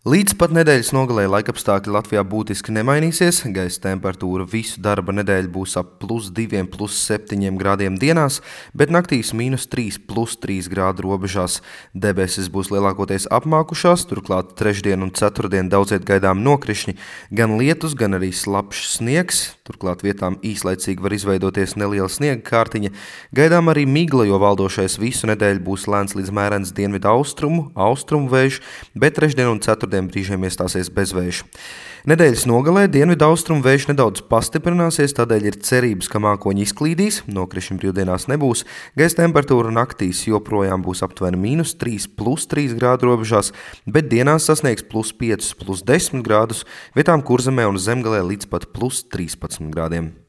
Līdz pat nedēļas nogalē laikapstākļi Latvijā būtiski nemainīsies. Gaisa temperatūra visu darba nedēļu būs ap +2, +7 grādiem dienās, bet naktīs -3, +3 grādu robežās. Debesis būs lielākoties apmākušās, turklāt trešdien un ceturtdien daudziet gaidām nokrišņi, gan lietus, gan arī slapjš sniegs. Turklāt vietām īslaicīgi var izveidoties neliela sniega kārtiņa. Gaidām arī migla, jo valdošais visu nedēļu būs lēns līdz mērens dienvidu austrumu vējš, bet trešdien un ceturtdien brīžiem iestāsies bezvējš. Nedēļas nogalē dienvidu austrumu vējš nedaudz pastiprināsies, tādēļ ir cerības, ka mākoņi izklīdīs, nokrišņi brīvdienās nebūs. Gaisa temperatūra naktīs joprojām būs aptuveni -3, +3 grādu robežās, bet dienās sasniegs +5, +10 grādus, vietām Kurzemē un Zemgalē līdz pat +13 grādiem.